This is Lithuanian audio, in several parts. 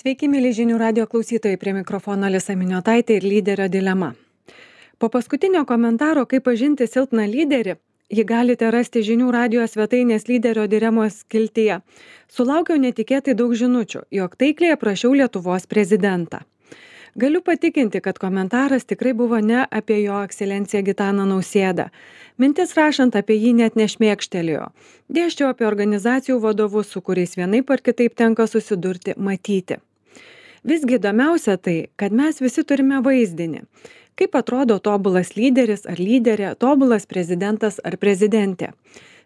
Sveiki, mėly žinių radio klausytojai, prie mikrofono Alisa Miniotaitė ir lyderio dilema. Po paskutinio komentaro, kaip pažinti silpną lyderį, jį galite rasti žinių radio svetainės lyderio dilemos skiltyje. Sulaukiau netikėtai daug žinučių, jog taikliai aprašiau Lietuvos prezidentą. Galiu patikinti, kad komentaras tikrai buvo ne apie jo ekscelenciją Gitaną Nausėdą. Mintis rašant apie jį net nešmėkštelėjo. Dėsčiau apie organizacijų vadovus, su kuriais vienaip ar kitaip tenka susidurti, matyti. Visgi įdomiausia tai, kad mes visi turime vaizdinį. Kaip atrodo tobulas lyderis ar lyderė, tobulas prezidentas ar prezidentė.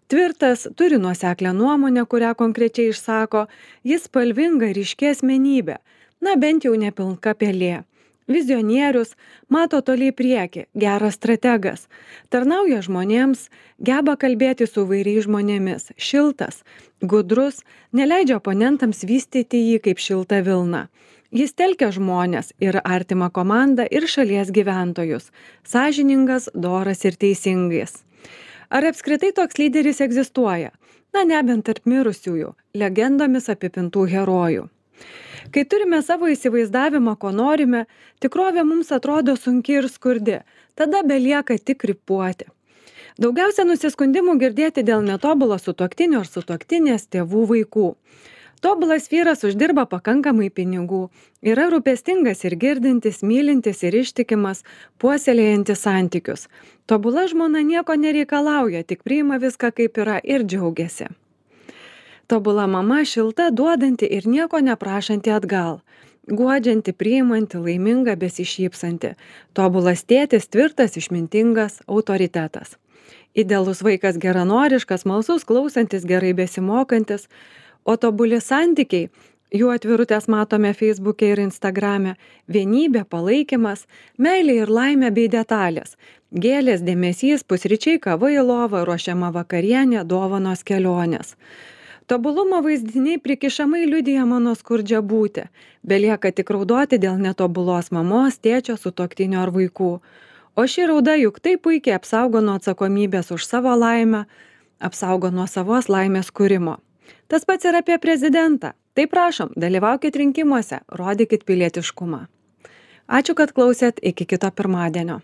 Tvirtas, turi nuoseklę nuomonę, kurią konkrečiai išsako, jis spalvinga ir ryški asmenybė. Na, bent jau nepilka pelė. Vizionierius, mato toliai priekį, geras strategas, tarnauja žmonėms, geba kalbėti su įvairiais žmonėmis, šiltas, gudrus, neleidžia oponentams vystyti jį kaip šiltą vilną. Jis telkia žmonės ir artimą komandą ir šalies gyventojus, sąžiningas, doras ir teisingas. Ar apskritai toks lyderis egzistuoja? Na, nebent tarp mirusiųjų, legendomis apipintų herojų. Kai turime savo įsivaizdavimą, ko norime, tikrovė mums atrodo sunki ir skurdi, tada belieka tik krypuoti. Daugiausia nusiskundimų girdėti dėl netobulo sutuoktinio ar sutuoktinės tėvų vaikų. Tobulas vyras uždirba pakankamai pinigų, yra rūpestingas ir girdintis, mylintis ir ištikimas, puoselėjantis santykius. Tobula žmona nieko nereikalauja, tik priima viską kaip yra ir džiaugiasi. Tobula mama šilta, duodanti ir nieko neprašanti atgal. Guodžianti, priimanti, laiminga, besišypsanti. Tobulas tėtis, tvirtas, išmintingas, autoritetas. Idealus vaikas geranoriškas, malsus, klausantis, gerai besimokantis. O tobuli santykiai, jų atvirutės matome Facebook'e ir Instagram'e, vienybė, palaikymas, meilė ir laimė bei detalės. Gėlės, dėmesys, pusryčiai, kava į lovą, ruošiama vakarienė, dovanos, kelionės. Tobulumo vaizdiniai prikišamai liudija mano skurdžią būtį. Belieka tik raudoti dėl netobulos mamos, tėčio, sutuoktinio ar vaikų. O ši rauda juk taip puikiai apsaugo nuo atsakomybės už savo laimę, apsaugo nuo savos laimės kūrimo. Tas pats ir apie prezidentą. Tai prašom, dalyvaukit rinkimuose, rodykit pilietiškumą. Ačiū, kad klausėt, iki kito pirmadienio.